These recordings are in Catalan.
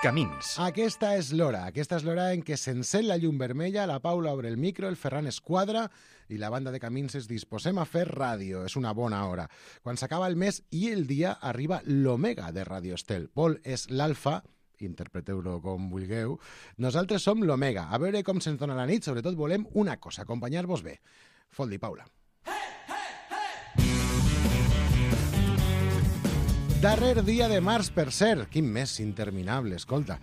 Camins. Aquesta és l'hora en què s'encén la llum vermella, la Paula obre el micro, el Ferran es quadra i la banda de Camins es disposem a fer ràdio. És una bona hora. Quan s'acaba el mes i el dia arriba l'Omega de Radio Estel. Pol és l'alfa, interpreteu-lo com vulgueu. Nosaltres som l'Omega. A veure com se'ns dona la nit, sobretot volem una cosa, acompanyar-vos bé. Fot-li, Paula. Darrer dia de març, per cert. Quin mes interminable, escolta.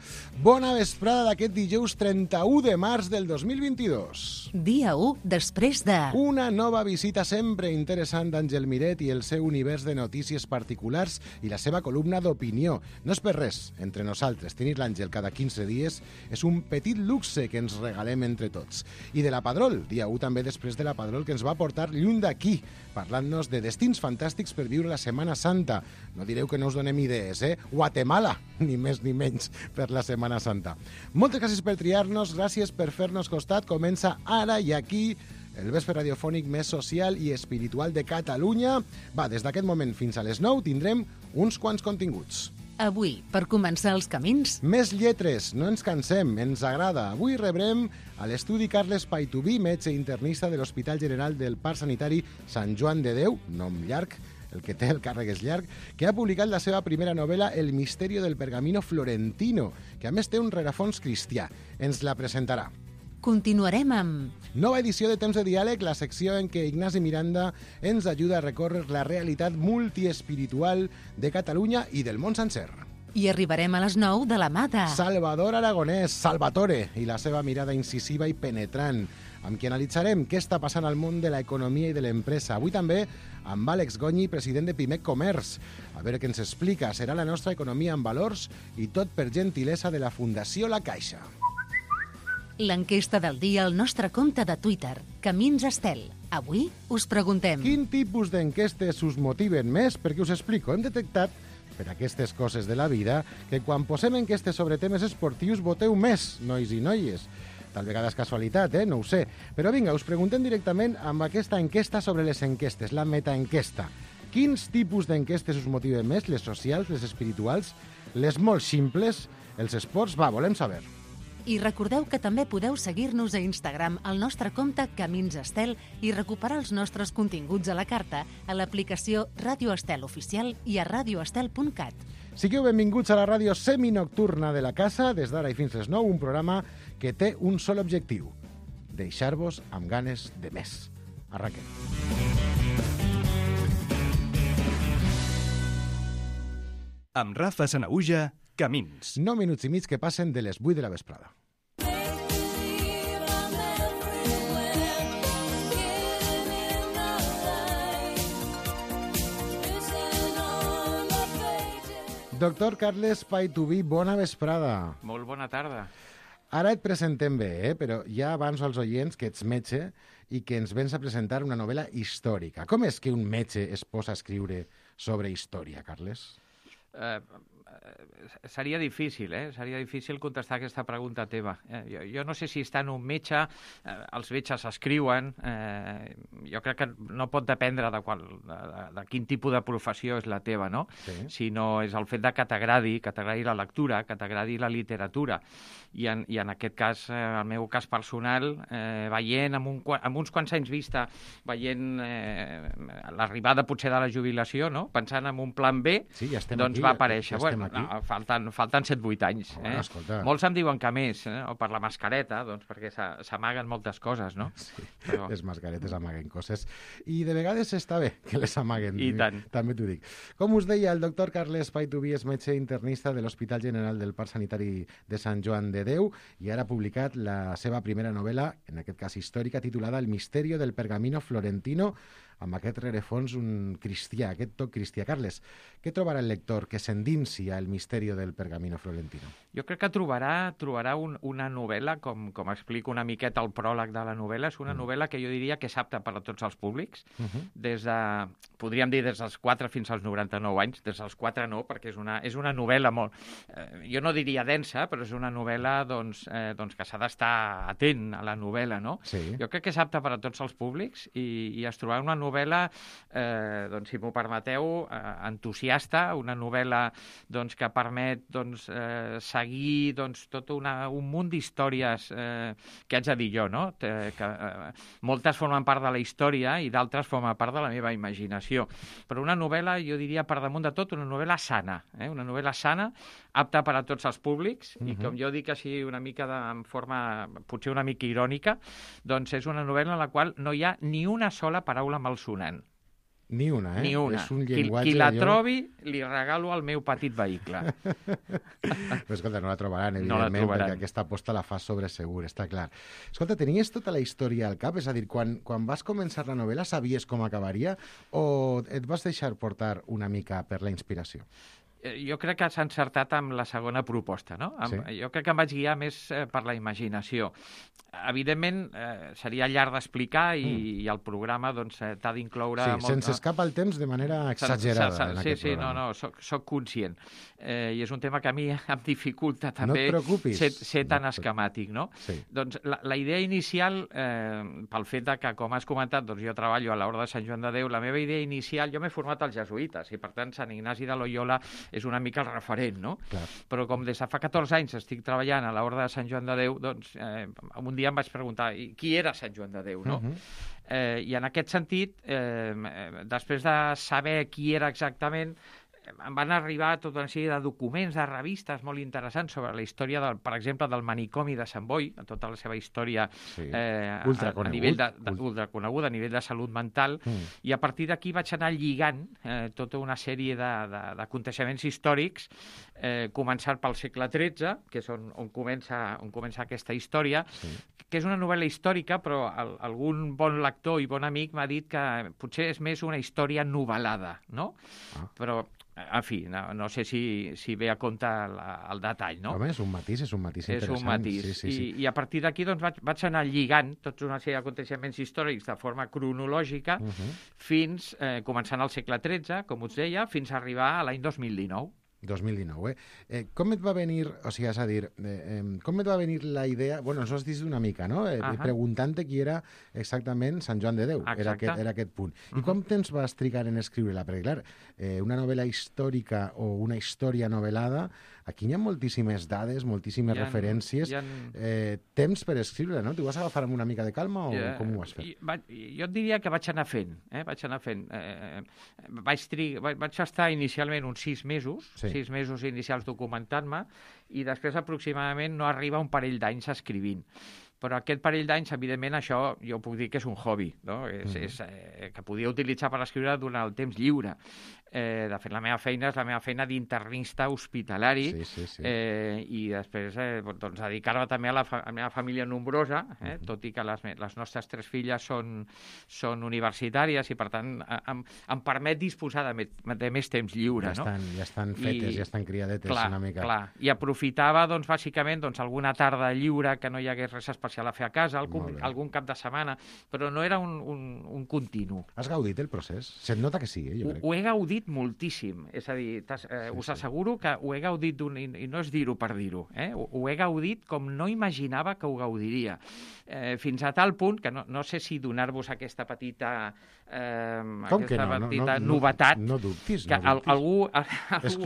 Bona vesprada d'aquest dijous 31 de març del 2022. Dia 1 després de... Una nova visita sempre interessant d'Àngel Miret i el seu univers de notícies particulars i la seva columna d'opinió. No és per res, entre nosaltres, tenir l'Àngel cada 15 dies és un petit luxe que ens regalem entre tots. I de la Padrol, dia 1 també després de la Padrol, que ens va portar lluny d'aquí, parlant-nos de destins fantàstics per viure la Setmana Santa. No direu que no us donem idees, Guatemala, ni més ni menys, per la Setmana Santa. Moltes gràcies per triar-nos, gràcies per fer-nos costat. Comença ara i aquí el vespre radiofònic més social i espiritual de Catalunya. Va, des d'aquest moment fins a les 9 tindrem uns quants continguts. Avui, per començar els camins... Més lletres, no ens cansem, ens agrada. Avui rebrem a l'estudi Carles Paituví, metge internista de l'Hospital General del Parc Sanitari Sant Joan de Déu, nom llarg, el que té el càrrec és llarg, que ha publicat la seva primera novel·la El misterio del pergamino florentino, que a més té un rerefons cristià. Ens la presentarà. Continuarem amb... Nova edició de Temps de Diàleg, la secció en què Ignasi Miranda ens ajuda a recórrer la realitat multiespiritual de Catalunya i del món sencer. I arribarem a les 9 de la mà de... Salvador Aragonès, Salvatore, i la seva mirada incisiva i penetrant, amb qui analitzarem què està passant al món de l'economia i de l'empresa. Avui també amb Àlex Gonyi, president de Pimec Comerç. A veure què ens explica. Serà la nostra economia en valors i tot per gentilesa de la Fundació La Caixa. L'enquesta del dia al nostre compte de Twitter, Camins Estel. Avui us preguntem... Quin tipus d'enquestes us motiven més? Perquè us explico. Hem detectat, per aquestes coses de la vida, que quan posem enquestes sobre temes esportius voteu més, nois i noies. Tal vegada és casualitat, no ho sé. Però vinga, us preguntem directament amb aquesta enquesta sobre les enquestes, la metaenquesta. Quins tipus d'enquestes us motiven més? Les socials, les espirituals, les molt simples, els esports? Va, volem saber. I recordeu que també podeu seguir-nos a Instagram al nostre compte Camins Estel i recuperar els nostres continguts a la carta a l'aplicació Ràdio Estel Oficial i a radioestel.cat. Sigueu benvinguts a la ràdio seminocturna de la casa, des d'ara i fins les 9, un programa que té un sol objectiu: deixar-vos amb ganes de més. Arranquem. Amb Rafa Sanaüja, Camins. 9 minuts i mig que passen de les 8 de la vesprada. Doctor Carles Paituví, bona vesprada. Molt bona tarda. Ara et presentem bé, però ja avanço als oients que ets metge i que ens vens a presentar una novel·la històrica. Com és que un metge es posa a escriure sobre història, Carles? Seria difícil, Seria difícil contestar aquesta pregunta teva. Jo no sé si estant un metge, els metges escriuen, jo crec que no pot dependre de quin tipus de professió és la teva, no? Sí. Sinó és el fet de que t'agradi la lectura, que t'agradi la literatura. I en aquest cas, el meu cas personal, veient amb uns quants anys vista, veient l'arribada potser de la jubilació, no? Pensant en un plan B, sí, ja doncs aquí, va aparèixer. Ja No, falten 7-8 anys. Bueno, escolta. Molts em diuen que més, o per la mascareta, doncs perquè s'amaguen moltes coses, no? Sí, però... les mascaretes amaguen coses. I de vegades està bé que les amaguen. I tant. També t'ho dic. Com us deia, el doctor Carles Paituví és metge internista de l'Hospital General del Parc Sanitari de Sant Joan de Déu i ara ha publicat la seva primera novel·la, en aquest cas històrica, titulada El misterio del pergamino florentino, amb aquest rerefons un cristià, aquest toc cristià. Carles, què trobarà el lector que s'endinsi al misteri del pergamino florentino? Jo crec que trobarà una novel·la, com explico una miqueta el pròleg de la novel·la, és una novel·la que jo diria que és apta per a tots els públics, podríem dir des dels 4 fins als 99 anys, des dels 4 no, perquè és una novel·la molt, jo no diria densa, però és una novel·la doncs, que s'ha d'estar atent a la novel·la, no? Sí. Jo crec que és apta per a tots els públics i es trobarà una novel·la novel·la, doncs, si m'ho permeteu, entusiasta, una novel·la doncs, que permet doncs, seguir doncs, tot un munt d'històries que haig de dir jo, no? Moltes formen part de la història i d'altres formen part de la meva imaginació. Però una novel·la, jo diria, per damunt de tot, una novel·la sana. Una novel·la sana, apta per a tots els públics, i com jo dic així una mica en forma potser una mica irònica, doncs és una novel·la en la qual no hi ha ni una sola paraula malsonant. Ni una, eh? Ni una. És un llenguatge qui la trobi, li regalo al meu petit vehicle. Però, escolta, no la trobaran, evidentment, perquè aquesta aposta la fa sobre segur, està clar. Escolta, tenies tota la història al cap? És a dir, quan vas començar la novel·la sabies com acabaria o et vas deixar portar una mica per la inspiració? Jo crec que s'ha encertat amb la segona proposta, no? Sí. Jo crec que em vaig guiar més per la imaginació. Evidentment, seria llarg d'explicar i el programa doncs, t'ha d'incloure... Sí, sense escapar el temps de manera exagerada en aquest programa. Soc conscient. I és un tema que a mi em dificulta també ser tan esquemàtic, no? Sí. Doncs la idea inicial, pel fet que, com has comentat, doncs jo treballo a l'Orde de Sant Joan de Déu, la meva idea inicial, jo m'he format als jesuïtes i, per tant, Sant Ignasi de Loyola és una mica el referent, no? Clar. Però com des de fa 14 anys estic treballant a l'Orde de Sant Joan de Déu, doncs un dia em vaig preguntar qui era Sant Joan de Déu, no? I en aquest sentit, després de saber qui era exactament, em van arribar tota una sèrie de documents, de revistes molt interessants sobre la història, per exemple, del manicomi de Sant Boi, tota la seva història ultraconeguda a nivell de salut mental, i a partir d'aquí vaig anar lligant tota una sèrie d'aconteixements històrics, començant pel segle XIII, que és on comença aquesta història, que és una novel·la històrica, però algun bon lector i bon amic m'ha dit que potser és més una història novel·lada, no? Però en fi, no sé si ve a compte el detall, no? Home, és un matís interessant. És un matís. Sí. I a partir d'aquí doncs, vaig anar lligant tota una sèrie d'aconteixements històrics de forma cronològica fins, començant al segle XIII, com us deia, fins a arribar a l'any 2019. 2019, com et va venir, o sigui, és a dir, com et va venir la idea, bueno, ens ho has dit una mica, no? Preguntant-te qui era exactament Sant Joan de Déu, era aquest punt. I com temps vas trigar en escriure-la? Perquè, clar, una novel·la històrica o una història novel·lada, aquí hi ha moltíssimes dades, moltíssimes referències, temps per escriure-la, no? T'ho vas agafar amb una mica de calma o com ho vas fer? Jo et diria que vaig anar fent. Vaig estar inicialment uns 6 mesos, 6 mesos inicials documentant-me, i després aproximadament no arriba un parell d'anys escrivint. Però aquest parell d'anys, evidentment, això jo puc dir que és un hobby, no? Que podia utilitzar per escriure durant el temps lliure. De fet, la meva feina és la meva feina d'internista hospitalari, i després doncs, dedicar-me també a la meva família nombrosa, tot i que les nostres 3 filles són universitàries i, per tant, em permet disposar de més temps lliure. Ja estan fetes, ja estan criadetes una mica. Clar, i aprofitava, doncs, bàsicament, alguna tarda lliure que no hi hagués res especial a fer a casa, algun cap de setmana, però no era un continu. Has gaudit el procés? Se't nota que sí, jo crec. Ho he gaudit moltíssim, és a dir, us asseguro que ho he gaudit i no és dir-ho per dir-ho, ho he gaudit com no imaginava que ho gaudiria, fins a tal punt que no sé si donar-vos aquesta petita novetat. No dubtis. Que algú...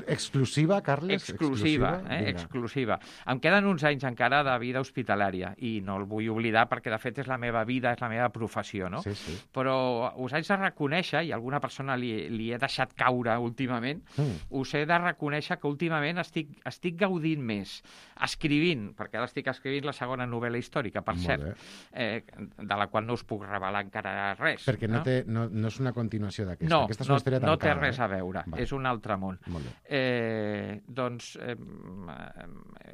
Exclusiva, Carles? Exclusiva. Em queden uns anys encara de vida hospitalària i no el vull oblidar perquè, de fet, és la meva vida, és la meva professió, no? Sí. Però us haig de reconèixer, i alguna persona li he deixat caure últimament, us he de reconèixer que últimament estic gaudint més escrivint, perquè ara estic escrivint la segona novel·la històrica, per cert, de la qual no us puc revelar encara res. Perquè no és una continuació d'aquesta. No, aquesta és una història tancada, no té res a veure, és un altre món. Doncs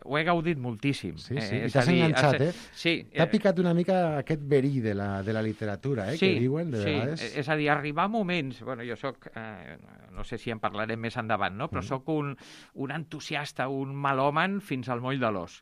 ho he gaudit moltíssim. Sí, i t'has enganxat, Sí. T'ha picat una mica aquest verí de la literatura, que diuen de vegades. És a dir, arribar a moments... Bueno, jo soc... no sé si en parlarem més endavant, no? Però soc un entusiasta, un melòman fins al moll de l'os.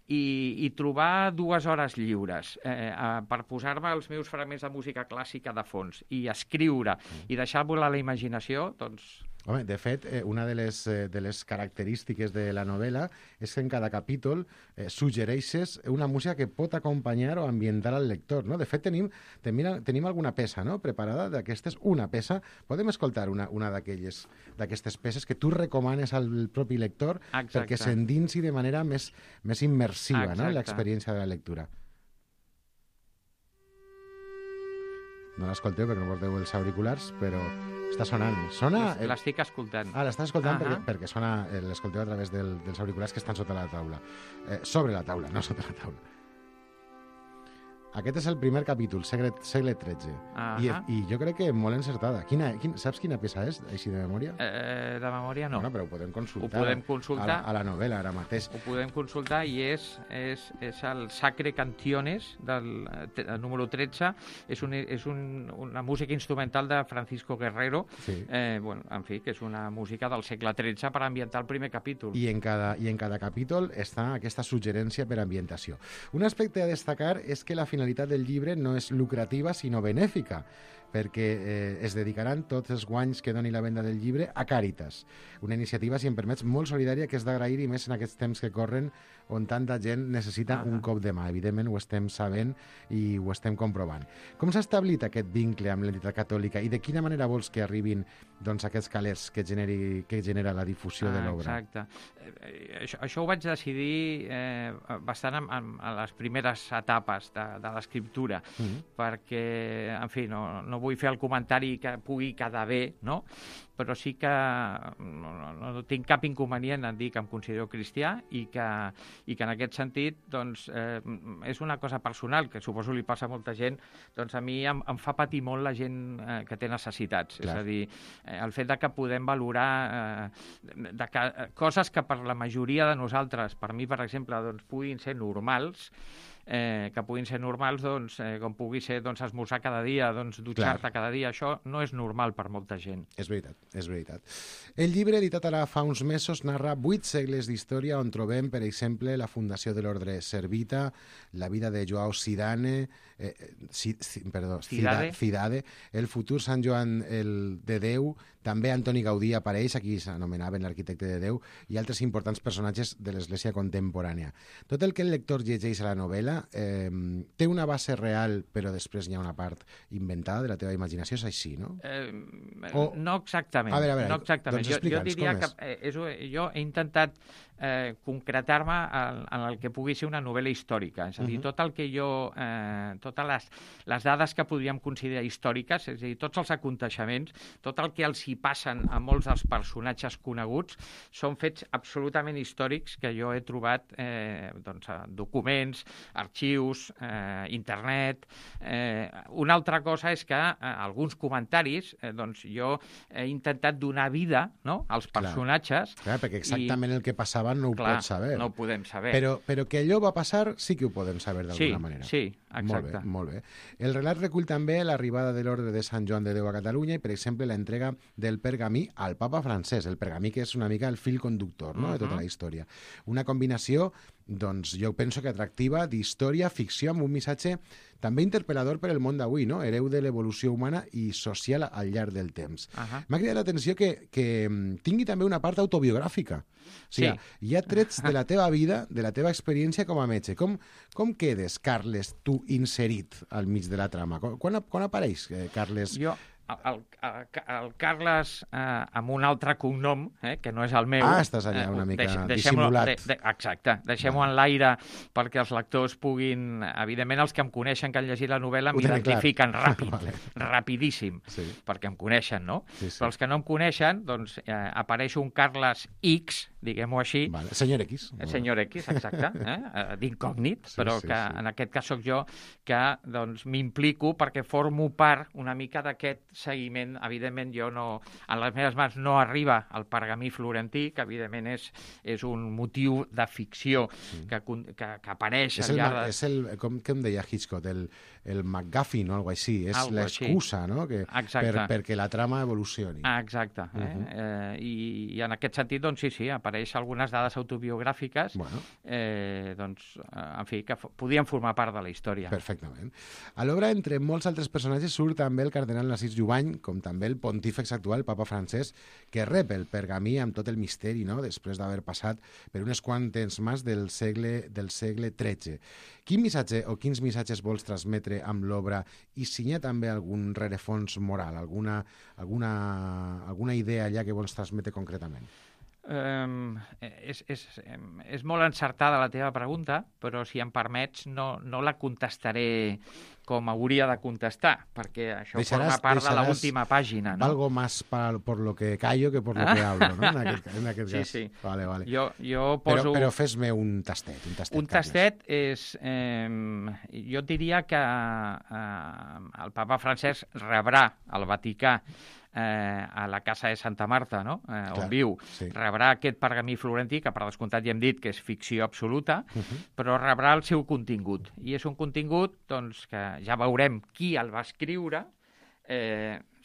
I trobar 2 hores lliures per posar-me els meus fragments de música clàssica de fons i escriure i deixar volar la imaginació, doncs Home, de fet, una de les característiques de la novel·la és que en cada capítol suggereixes una música que pot acompanyar o ambientar al lector, no? De fet, tenim alguna peça, no?, preparada d'aquestes, una peça. Podem escoltar una d'aquestes peces que tu recomanes al propi lector perquè s'endinsi de manera més immersiva, no?, l'experiència de la lectura. No l'escolteu perquè no porteu els auriculars, però està sonant. L'estic escoltant. L'estàs escoltant perquè sona, l'escolteu a través dels auriculars que estan sota la taula. Sobre la taula, no sota la taula. Aquest és el primer capítol, segle XIII. I jo crec que molt encertada. Saps quina peça és, així de memòria? De memòria no. Bueno, però ho podem consultar. Ho podem consultar. A la novel·la, ara mateix. Ho podem consultar i és el Sacre Canciones, del número 13. És una música instrumental de Francisco Guerrero. Sí. En fi, que és una música del segle XIII per ambientar el primer capítol. I en cada capítol està aquesta suggerència per ambientació. Un aspecte a destacar és que la finalitat del llibre no és lucrativa, sinó benèfica, perquè es dedicaran tots els guanys que doni la venda del llibre a Càritas. Una iniciativa, si em permets, molt solidària que és d'agrair, i més en aquests temps que corren on tanta gent necessita un cop de mà. Evidentment ho estem sabent i ho estem comprovant. Com s'ha establit aquest vincle amb l'entitat catòlica i de quina manera vols que arribin aquests calers que genera la difusió de l'obra? Exacte. Això ho vaig decidir bastant a les primeres etapes de l'escriptura, perquè, en fi, no vull fer el comentari que pugui quedar bé, no? Però sí que no tinc cap inconvenient en dir que em considero cristià i que en aquest sentit doncs, és una cosa personal que suposo li passa a molta gent. Doncs a mi em fa patir molt la gent que té necessitats. Clar. És a dir, el fet de que podem valorar coses que per la majoria de nosaltres, per mi per exemple, doncs, puguin ser normals, doncs, com pugui ser esmorzar cada dia, doncs, dutxar-te cada dia. Això no és normal per molta gent. És veritat, és veritat. El llibre, editat ara fa uns mesos, narra 8 segles d'història on trobem, per exemple, la fundació de l'ordre Servita, la vida de Joao Cidade, el futur Sant Joan de Déu, també Antoni Gaudí apareix, aquí s'anomenaven l'arquitecte de Déu, i altres importants personatges de l'Església contemporània. Tot el que el lector llegeix a la novel·la té una base real, però després hi ha una part inventada de la teva imaginació, és així, no? No exactament. A veure, no exactament. Doncs explica'ns com és. Jo he intentat concretar-me en el que pugui ser una novel·la històrica. És a dir, tot el que totes les dades que podríem considerar històriques, és a dir, tots els aconteixements, tot el que els hi passen a molts dels personatges coneguts, són fets absolutament històrics que jo he trobat documents, arxius, internet. Una altra cosa és que alguns comentaris, jo he intentat donar vida, no?, als personatges. Clar, perquè exactament el que passava no ho pots saber. No ho podem saber. Però que allò va passar sí que ho podem saber d'alguna manera. Sí, exacte. Molt bé. El relat recull també l'arribada de l'ordre de Sant Joan de Déu a Catalunya i, per exemple, l'entrega del pergamí al papa francès. El pergamí que és una mica el fil conductor, no?, de tota la història. Una combinació, doncs, jo penso que atractiva, d'història, ficció, amb un missatge també interpel·lador per al món d'avui, no?, hereu de l'evolució humana i social al llarg del temps. M'ha cridat l'atenció que tingui també una part autobiogràfica. O sigui, hi ha trets de la teva vida, de la teva experiència com a metge. Com quedes, Carles, tu inserit al mig de la trama? Quan apareix, Carles? El Carles amb un altre cognom, que no és el meu. Estàs allà una mica dissimulat. Exacte, deixem-ho en l'aire perquè els lectors puguin... Evidentment, els que em coneixen, que han llegit la novel·la, m'identifiquen rapidíssim, perquè em coneixen, no? Però els que no em coneixen, doncs apareix un Carles X, diguem-ho així. Senyor X. Senyor X, exacte, d'incògnit, però que en aquest cas sóc jo, que m'implico perquè formo part una mica d'aquest seguiment. Evidentment, jo no... En les meves mans no arriba el pergamí florentí, que evidentment és un motiu de ficció que apareix al llarg de... És el, com deia Hitchcock, el MacGuffin o alguna cosa així. És l'excusa, no?, perquè la trama evolucioni. Exacte. I en aquest sentit, doncs sí, apareix algunes dades autobiogràfiques, doncs, en fi, que podien formar part de la història. Perfectament. A l'obra, entre molts altres personatges, surt també el cardenal Narcís Llobera, any, com també el pontífex actual, el papa Francesc, que rep el pergamí amb tot el misteri, no?, després d'haver passat per unes quantes mans del segle XIII. Quin missatge o quins missatges vols transmetre amb l'obra i si hi ha també algun rerefons moral, alguna idea allà que vols transmetre concretament? És molt encertada la teva pregunta, però si em permets no la contestaré com hauria de contestar, perquè això forma part de l'última pàgina, no? Algo más por lo que callo que por lo que hablo, no? En aquest cas. Sí. Vale. Jo poso... Però fes-me un tastet. Un tastet és... jo diria que el papa Francesc rebrà al Vaticà a la casa de Santa Marta, no? On viu, sí. Rebrà aquest pergamí florentí, que per descomptat ja hem dit que és ficció absoluta, però rebrà el seu contingut. I és un contingut doncs, que ja veurem qui el va escriure,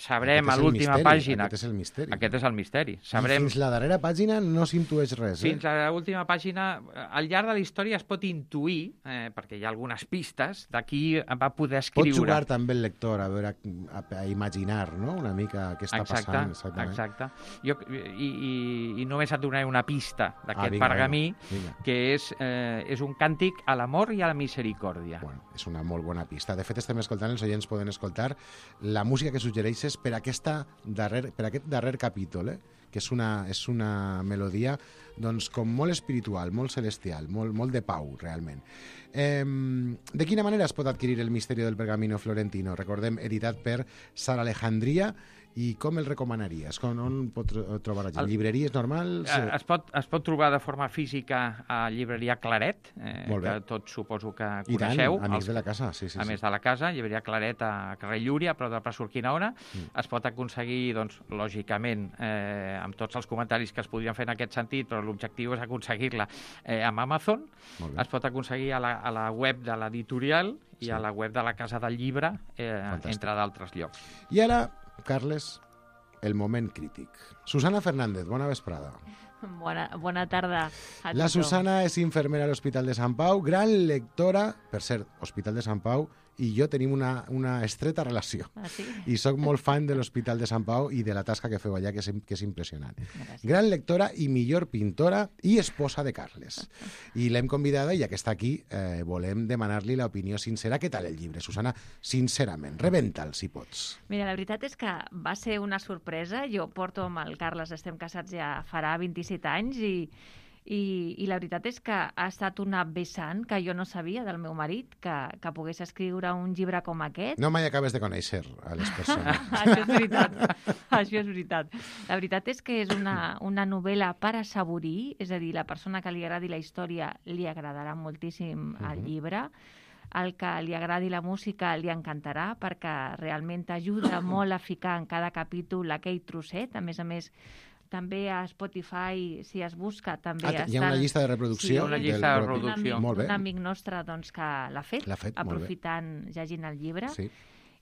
sabrem a l'última pàgina... Aquest és el misteri. Aquest és el misteri. Sabrem... I fins la darrera pàgina no s'intueix res. Fins a l'última pàgina, al llarg de la història es pot intuir, perquè hi ha algunes pistes, de qui va poder escriure. Pot jugar també el lector a imaginar, no?, una mica què està passant. Exacte. I només et donaré una pista d'aquest pergamí, que és un càntic a l'amor i a la misericòrdia. Bueno, és una molt bona pista. De fet, estem escoltant, els oients poden escoltar la música que suggereixes per aquest darrer capítol, que és una melodia doncs, com molt espiritual, molt celestial, molt de pau, realment. De quina manera es pot adquirir el misteri del pergamino florentino? Recordem, editat per Sara Alejandria. I com el recomanaries? On pot trobar la gent? Llibreries normals? Es pot trobar de forma física a llibreria Claret, que tots suposo que coneixeu. I tant, amics de la casa. Sí. A més de la casa, llibreria Claret a carrer Llúria, però de Plaça Urquinaona. Es pot aconseguir, doncs, lògicament, amb tots els comentaris que es podrien fer en aquest sentit, però l'objectiu és aconseguir-la amb Amazon. Es pot aconseguir a la web de l'editorial i a la web de la Casa del Llibre, entre d'altres llocs. I ara, Carles, el moment crític. Susana Fernández, bona vesprada. Bona tarda a tothom. La Susana és infermera a l'Hospital de Sant Pau, gran lectora, per cert, Hospital de Sant Pau i jo tenim una estreta relació. Sí? I sóc molt fan de l'Hospital de Sant Pau i de la tasca que feu allà, que és impressionant. Gràcies. Gran lectora i millor pintora i esposa de Carles. I l'hem convidada, i ja que està aquí, volem demanar-li l'opinió sincera. Què tal el llibre, Susana? Sincerament, rebenta'l, si pots. Mira, la veritat és que va ser una sorpresa. Jo porto amb el Carles, estem casats ja farà 27 anys i la veritat és que ha estat una vessant que jo no sabia del meu marit, que pogués escriure un llibre com aquest. No mai acabes de conèixer a les persones. Això és veritat. La veritat és que és una novel·la per assaborir, és a dir, la persona que li agradi la història li agradarà moltíssim el llibre, el que li agradi la música li encantarà perquè realment t'ajuda molt a ficar en cada capítol aquell trosset. A més, també a Spotify, si es busca, també hi ha una llista de reproducció? Sí, una llista de reproducció. Un amic nostre doncs, que l'ha fet aprofitant, llegint el llibre. Sí.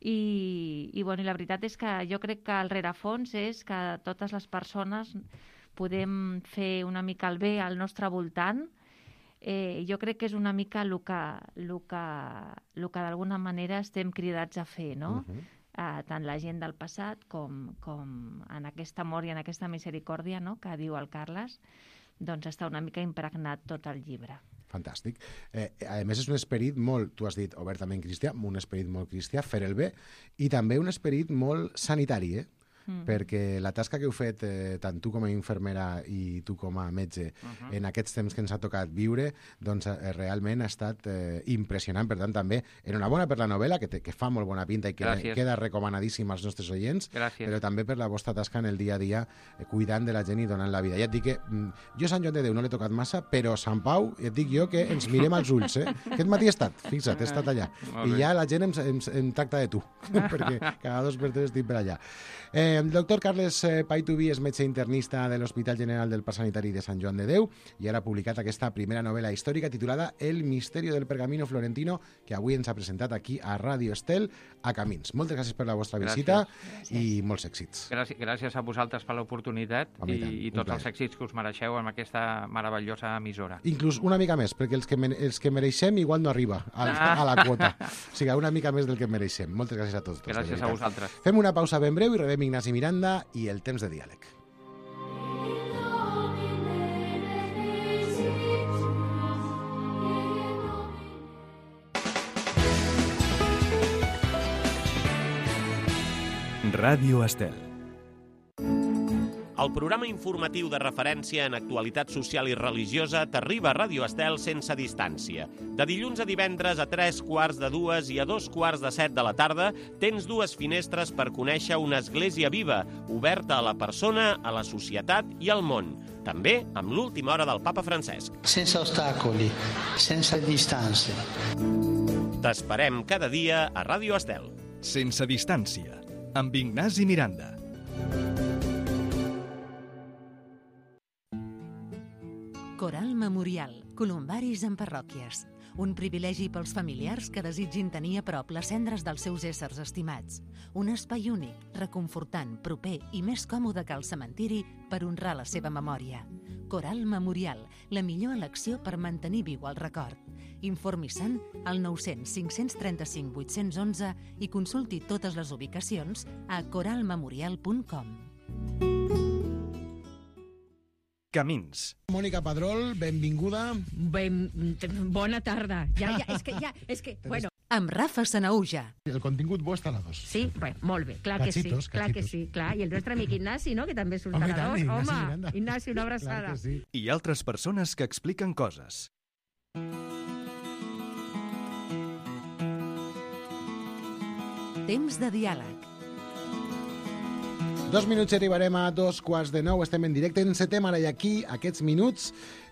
I la veritat és que jo crec que el rerefons és que totes les persones podem fer una mica el bé al nostre voltant. Jo crec que és una mica el que d'alguna manera estem cridats a fer, no? Tant la gent del passat com en aquest amor i en aquesta misericòrdia, no?, que diu el Carles, doncs està una mica impregnat tot el llibre. Fantàstic. A més, és un esperit molt, tu has dit, obertament cristià, un esperit molt cristià, fer el bé, i també un esperit molt sanitari, perquè la tasca que heu fet tant tu com a infermera i tu com a metge en aquests temps que ens ha tocat viure, doncs realment ha estat impressionant. Per tant, també enhorabona per la novel·la, que fa molt bona pinta i que queda recomanadíssima als nostres oients, però també per la vostra tasca en el dia a dia, cuidant de la gent i donant la vida. Ja et dic que jo a Sant Joan de Déu no l'he tocat massa, però a Sant Pau, et dic jo que ens mirem als ulls. Aquest matí he estat, fixa't, he estat allà. I ja la gent em tracta de tu, perquè cada 2 per 3 estic per allà. El doctor Carles Paituví és metge internista de l'Hospital General del Parc Sanitari de Sant Joan de Déu i ara ha publicat aquesta primera novel·la històrica titulada El misterio del pergamino florentino, que avui ens ha presentat aquí a Ràdio Estel, a Camins. Moltes gràcies per la vostra visita i molts èxits. Gràcies a vosaltres per l'oportunitat i tots els èxits que us mereixeu amb aquesta meravellosa emissora. Inclús una mica més, perquè els que mereixem igual no arriba a la quota. O sigui, una mica més del que mereixem. Moltes gràcies a tots. Gràcies a vosaltres. Fem una pausa ben breu i rebem Ignasi Miranda i el temps de diàleg. Ràdio Estel. El programa informatiu de referència en actualitat social i religiosa t'arriba a Ràdio Estel sense distància. De dilluns a divendres a 3:45 i a 2:45 de la tarda tens dues finestres per conèixer una església viva, oberta a la persona, a la societat i al món. També amb l'última hora del papa Francesc. Sense ostacoli, sense distància. T'esperem cada dia a Ràdio Estel. Sense distància, amb Ignasi Miranda. Coral Memorial, columbaris en parròquies. Un privilegi pels familiars que desitgin tenir a prop les cendres dels seus éssers estimats. Un espai únic, reconfortant, proper i més còmode que el cementiri per honrar la seva memòria. Coral Memorial, la millor elecció per mantenir viu el record. Informi-se'n al 900 535 811 i consulti totes les ubicacions a coralmemorial.com. Camins. Mònica Padrol, benvinguda. Bona tarda. És que, bueno... Amb Rafa Sanaúja. El contingut bo està a la 2. Sí, bé, molt bé, clar que sí. Clar que sí, clar. I el nostre amic Ignasi, no?, que també surt a la 2. Home, Ignasi, una abraçada. Sí. I altres persones que expliquen coses. Temps de diàleg. 2 minuts i arribarem a 2:15. Estem en directe, encetem ara i aquí aquests minuts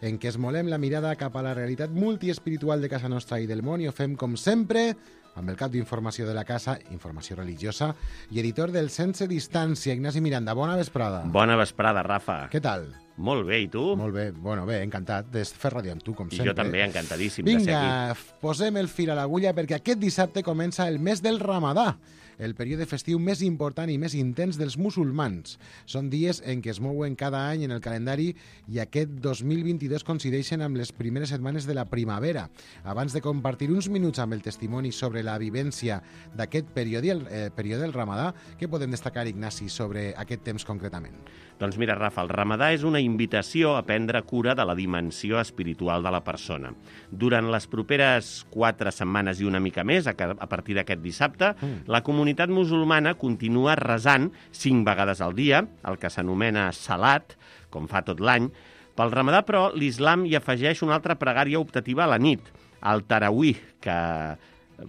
en què esmolem la mirada cap a la realitat multiespiritual de casa nostra i del món i ho fem, com sempre, amb el cap d'informació de la casa, informació religiosa, i editor del Sense Distància, Ignasi Miranda. Bona vesprada. Bona vesprada, Rafa. Què tal? Molt bé, i tu? Molt bé, bueno, bé, encantat de fer ràdio amb tu, com sempre. I jo també, encantadíssim de ser aquí. Vinga, posem el fil a l'agulla perquè aquest dissabte comença el mes del Ramadà, el període festiu més important i més intens dels musulmans. Són dies en què es mouen cada any en el calendari i aquest 2022 coincideixen amb les primeres setmanes de la primavera. Abans de compartir uns minuts amb el testimoni sobre la vivència d'aquest període del Ramadà, què podem destacar, Ignasi, sobre aquest temps concretament? Doncs mira, Rafa, el Ramadà és una invitació a prendre cura de la dimensió espiritual de la persona. Durant les properes 4 setmanes i una mica més, a partir d'aquest dissabte, la comunitat musulmana continua resant 5 vegades al dia, el que s'anomena salat, com fa tot l'any. Pel Ramadà, però, l'islam hi afegeix una altra pregària optativa a la nit, el tarawih, que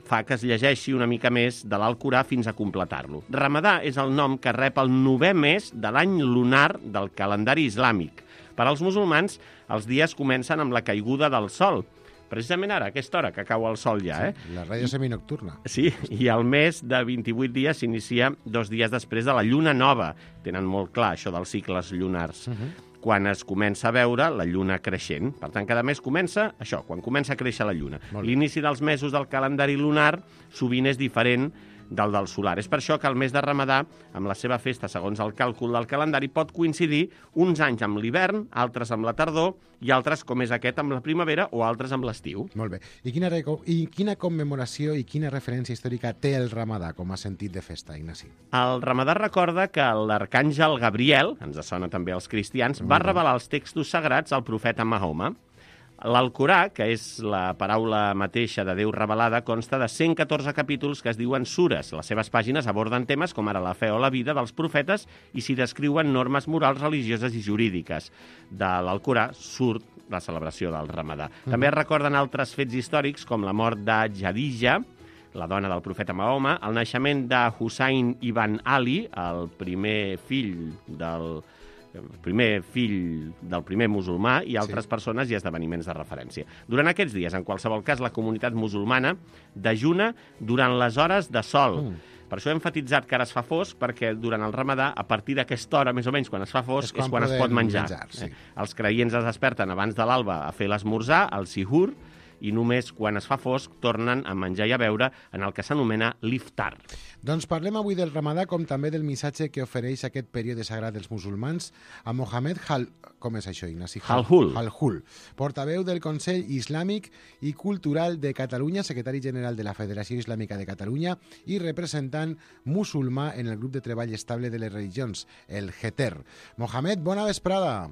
fa que es llegeixi una mica més de l'Alcorà fins a completar-lo. Ramadà és el nom que rep el 9è mes de l'any lunar del calendari islàmic. Per als musulmans, els dies comencen amb la caiguda del sol. Precisament ara, a aquesta hora que cau el sol ja, Sí, la ràdio seminocturna. Sí, i el mes de 28 dies s'inicia 2 dies després de la lluna nova. Tenen molt clar això dels cicles lunars. Quan es comença a veure la lluna creixent. Per tant, cada mes comença això, quan comença a créixer la lluna. L'inici dels mesos del calendari lunar sovint és diferent del solar. És per això que el mes de Ramadà, amb la seva festa segons el càlcul del calendari, pot coincidir uns anys amb l'hivern, altres amb la tardor, i altres, com és aquest, amb la primavera o altres amb l'estiu. Molt bé. I quina commemoració i quina referència històrica té el Ramadà com a sentit de festa, Ignasi? El Ramadà recorda que l'arcàngel Gabriel, ens sona també als cristians, va revelar els textos sagrats al profeta Mahoma. L'Alcorà, que és la paraula mateixa de Déu revelada, consta de 114 capítols que es diuen sures. Les seves pàgines aborden temes com ara la fe o la vida dels profetes i s'hi descriuen normes morals, religioses i jurídiques. De l'Alcorà surt la celebració del Ramadà. També es recorden altres fets històrics com la mort de Jadija, la dona del profeta Mahoma, el naixement de Hussein ibn Ali, el primer fill del primer musulmà, i altres persones i esdeveniments de referència. Durant aquests dies, en qualsevol cas, la comunitat musulmana dejuna durant les hores de sol. Per això he enfatitzat que ara es fa fosc, perquè durant el ramadà, a partir d'aquesta hora, més o menys, quan es fa fosc, és quan es pot menjar. Sí. Els creients es desperten abans de l'alba a fer l'esmorzar, el sihur, i només quan es fa fosc tornen a menjar i a beure en el que s'anomena l'iftar. Doncs parlem avui del Ramadà com també del missatge que ofereix aquest període sagrat dels musulmans a Mohamed com és això, Ignasi? Halhul, portaveu del Consell Islàmic i Cultural de Catalunya, secretari general de la Federació Islàmica de Catalunya i representant musulmà en el grup de treball estable de les religions, el GETER. Mohamed, bona vesprada.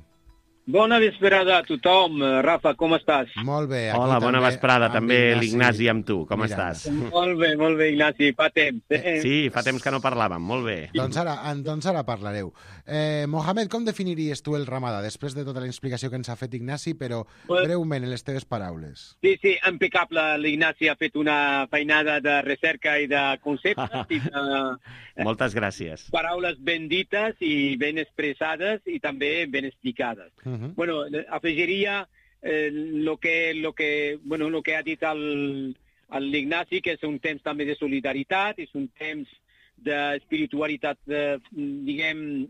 Bona vesprada a tothom. Rafa, com estàs? Molt bé. Hola, bona vesprada. També l'Ignasi amb tu. Com estàs? Molt bé, Ignasi. Fa temps. Sí, fa temps que no parlàvem. Molt bé. Doncs ara parlareu. Mohamed, com definiries tu el Ramadà, després de tota la explicació que ens ha fet Ignasi, però breument, en les teves paraules? Sí, impecable. L'Ignasi ha fet una feinada de recerca i de conceptes. I de moltes gràcies. Paraules ben dites i ben expressades i també ben explicades. Bueno, afegiria lo que ha dit l'Ignasi, que és un temps també de solidaritat, és un temps d'espiritualitat, diguem,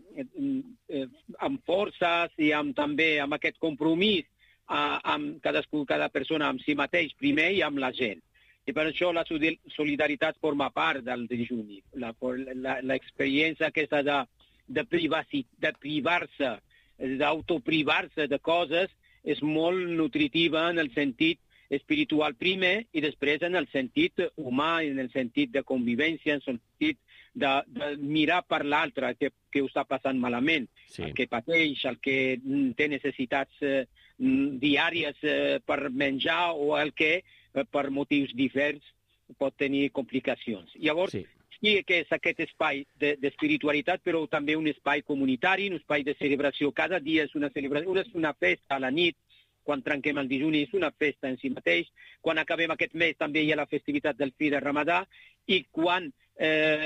amb forces i també amb aquest compromís amb cada persona amb si mateix primer i amb la gent. I per això la solidaritat forma part del dejuni. L'experiència aquesta de privar-se, d'autoprivar-se de coses és molt nutritiva en el sentit espiritual primer i després en el sentit humà, en el sentit de convivència, en el sentit de mirar per l'altre que ho està passant malament, el que pateix, el que té necessitats diàries per menjar o el que per motius diversos pot tenir complicacions. Llavors, sí que és aquest espai d'espiritualitat, però també un espai comunitari, un espai de celebració. Cada dia és una celebració, és una festa a la nit, quan trenquem el dejuni, és una festa en si mateix. Quan acabem aquest mes també hi ha la festivitat del fi de Ramadà i quan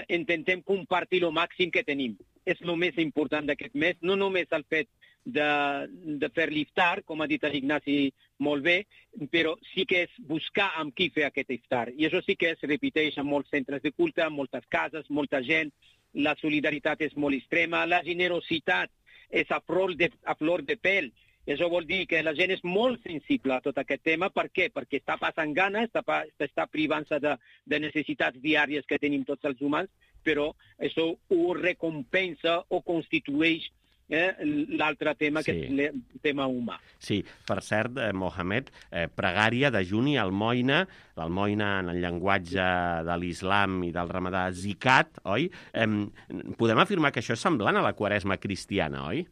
intentem compartir el màxim que tenim. És el més important d'aquest mes, no només el fet de fer l'iftar, com ha dit l'Ignasi molt bé, però sí que és buscar amb qui fer aquest iftar. I això sí que es repeteix en molts centres de culte, en moltes cases, molta gent, la solidaritat és molt extrema, la generositat és a flor de pèl. Això vol dir que la gent és molt sensible a tot aquest tema. Per què? Perquè està passant gana, està privant-se de necessitats diàries que tenim tots els humans, però això ho recompensa o constitueix l'altre tema, que és el tema humà. Sí, per cert, Mohamed, pregària, dejuni, almoina, l'almoina en el llenguatge de l'islam i del ramadà zikat, oi? Podem afirmar que això és semblant a la quaresma cristiana, oi?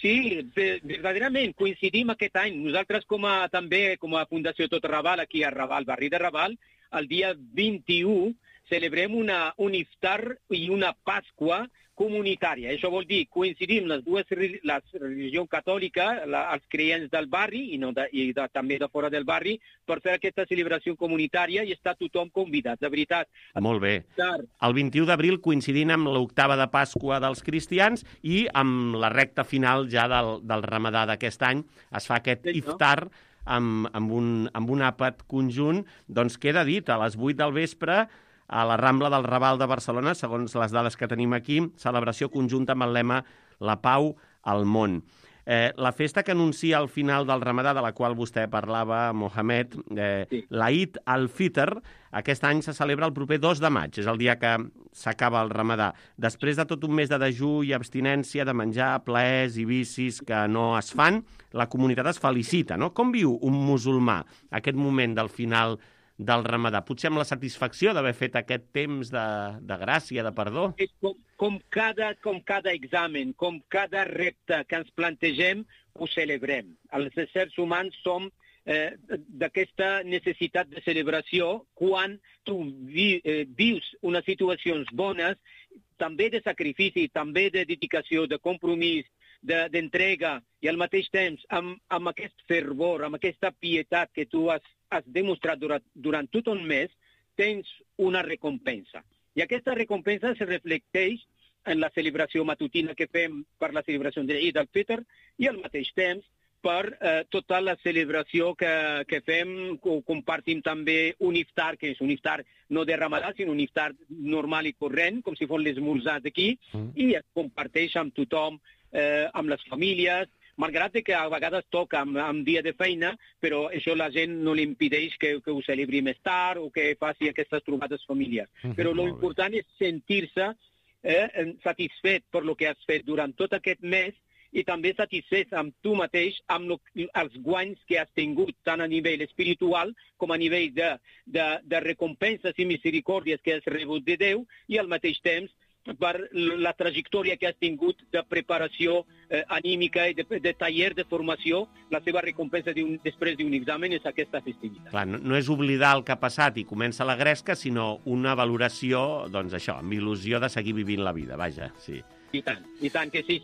Sí, verdaderament, coincidim aquest any. Nosaltres també com a Fundació Tot Raval, aquí a Raval, barri de Raval, el dia 21 celebrem un iftar i una Pasqua comunitària. Això vol dir coincidim la religió catòlica, els creients del barri i també de fora del barri, per fer aquesta celebració comunitària i està tothom convidat, de veritat. Molt bé. El 21 d'abril coincidint amb l'octava de Pasqua dels cristians i amb la recta final ja del Ramadà d'aquest any es fa aquest iftar amb un àpat conjunt. Doncs queda dit, a les 8 del vespre a la Rambla del Raval de Barcelona, segons les dades que tenim aquí, celebració conjunta amb el lema La pau al món. La festa que anuncia al final del Ramadà, de la qual vostè parlava, Mohamed, l'Eid al-Fitr, aquest any se celebra el proper 2 de maig, és el dia que s'acaba el Ramadà. Després de tot un mes de dejú i abstinència, de menjar, plaers i vicis que no es fan, la comunitat es felicita, no? Com viu un musulmà aquest moment del final del Ramadà? Potser amb la satisfacció d'haver fet aquest temps de gràcia, de perdó? Com cada examen, com cada repte que ens plantegem, ho celebrem. Els éssers humans som d'aquesta necessitat de celebració quan tu vius unes situacions bones, també de sacrifici, també de dedicació, de compromís, d'entrega, i al mateix temps amb aquest fervor, amb aquesta pietat que tu has demostrat durant tot un mes, tens una recompensa. I aquesta recompensa se reflecteix en la celebració matutina que fem per la celebració de l'Eid al-Fitr i al mateix temps per tota la celebració que fem. Compartim també un iftar, que és un iftar no de Ramadà, sinó un iftar normal i corrent, com si fos l'esmorzar d'aquí, i es comparteix amb tothom, amb les famílies, malgrat que a vegades toca amb dia de feina, però això la gent no li impedeix que ho celebri més tard o que faci aquestes trobades familiars. Però l'important és sentir-se satisfet per lo que has fet durant tot aquest mes i també satisfet amb tu mateix, amb els guanys que has tingut, tant a nivell espiritual com a nivell de recompenses i misericòrdies que has rebut de Déu, i al mateix temps per la trajectòria que has tingut de preparació anímica i de taller de formació. La seva recompensa després d'un examen és aquesta festivitat. Clar, no és oblidar el que ha passat i comença la gresca, sinó una valoració, doncs això, amb il·lusió de seguir vivint la vida, vaja, sí. I tant que sí.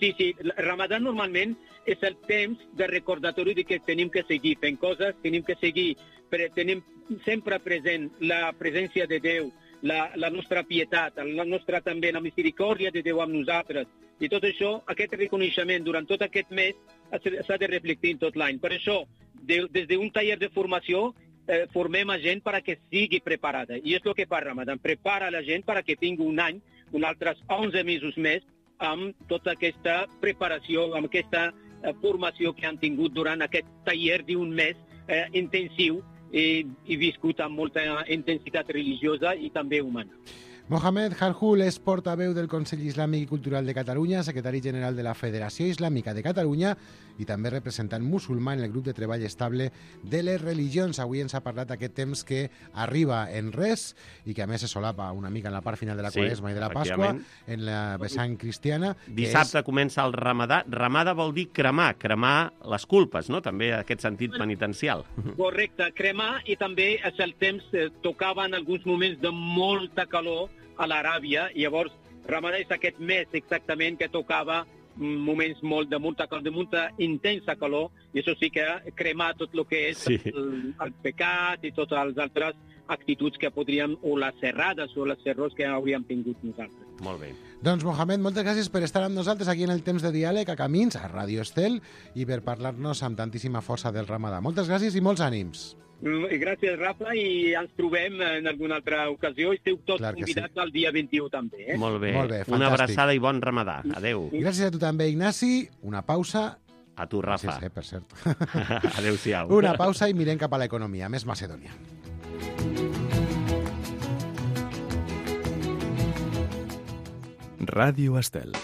Ramadà normalment és el temps de recordatori de que tenim que seguir fent coses, tenim sempre present la presència de Déu, la nostra pietat, la nostra també la misericòrdia de Déu amb nosaltres. I tot això, aquest reconeixement durant tot aquest mes s'ha de reflectir tot l'any. Per això, des d'un taller de formació, formem a gent perquè sigui preparada. I és el que fa Ramadan, prepara la gent perquè tingui un any, uns altres 11 mesos més, amb tota aquesta preparació, amb aquesta formació que han tingut durant aquest taller d'un mes intensiu i viscut amb molta intensitat religiosa i també humana. Mohamed Harhoul és portaveu del Consell Islàmic i Cultural de Catalunya, secretari general de la Federació Islàmica de Catalunya i també representant musulmà en el grup de treball estable de les religions. Avui ens ha parlat d'aquest temps que arriba en res i que a més se solapa una mica en la part final de la Quaresma i de la Pasqua, en la vessant cristiana. Dissabte comença el Ramadà. Ramadà vol dir cremar les culpes, no? També en aquest sentit penitencial. Correcte, cremar, i també és el temps, tocava en alguns moments de molta calor a l'Aràbia, i llavors Ramadà és aquest mes exactament que tocava moments de molta intensa calor, i això sí que cremar tot el que és el pecat i totes les altres actituds que podríem, o les errades o les errors que hauríem tingut nosaltres. Molt bé. Doncs, Mohamed, moltes gràcies per estar amb nosaltres aquí en el temps de diàleg a Camins, a Ràdio Estel, i per parlar-nos amb tantíssima força del Ramadà. Moltes gràcies i molts ànims. Gràcies, Rafa, i ens trobem en alguna altra ocasió. Esteu tots convidats al dia 21 també. Molt bé, una abraçada i bon Ramadà. Adéu. Gràcies a tu també, Ignasi. Una pausa. A tu, Rafa. Gràcies, per cert. Adéu-siau. Una pausa i mirem cap a l'economia. Més Macedònia. Ràdio Estel.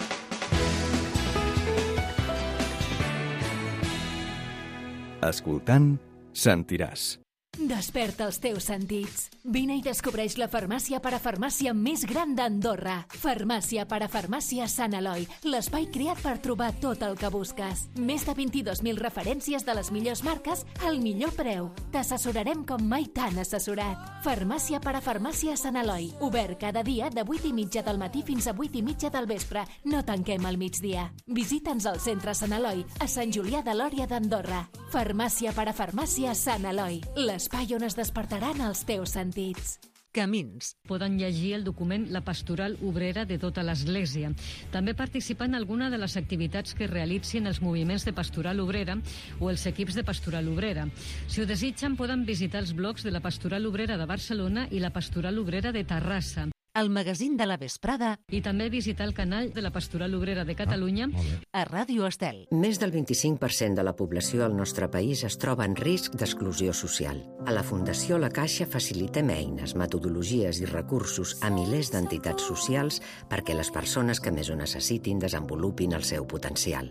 Escoltant, sentiràs. Desperta els teus sentits. Vine i descobreix la farmàcia parafarmàcia més gran d'Andorra. Farmàcia parafarmàcia Sant Eloi, l'espai creat per trobar tot el que busques. Més de 22.000 referències de les millors marques al millor preu. T'assessorarem com mai t'han assessorat. Farmàcia parafarmàcia Sant Eloi, obert cada dia de 8:30 del matí fins a 8:30 del vespre. No tanquem al migdia. Visita'ns al centre Sant Eloi, a Sant Julià de Lòria d'Andorra. Farmàcia parafarmàcia Sant Eloi, l'espai on es despertaran els teus sentits. Camins. Poden llegir el document La Pastoral Obrera de tota l'Església. També participar en alguna de les activitats que realitzin els moviments de Pastoral Obrera o els equips de Pastoral Obrera. Si ho desitgen, poden visitar els blogs de la Pastoral Obrera de Barcelona i la Pastoral Obrera de Terrassa. El magazín de la vesprada. I també visitar el canal de la Pastoral Obrera de Catalunya a Ràdio Estel. Més del 25% de la població del nostre país es troba en risc d'exclusió social. A la Fundació La Caixa facilitem eines, metodologies i recursos a milers d'entitats socials perquè les persones que més ho necessitin desenvolupin el seu potencial.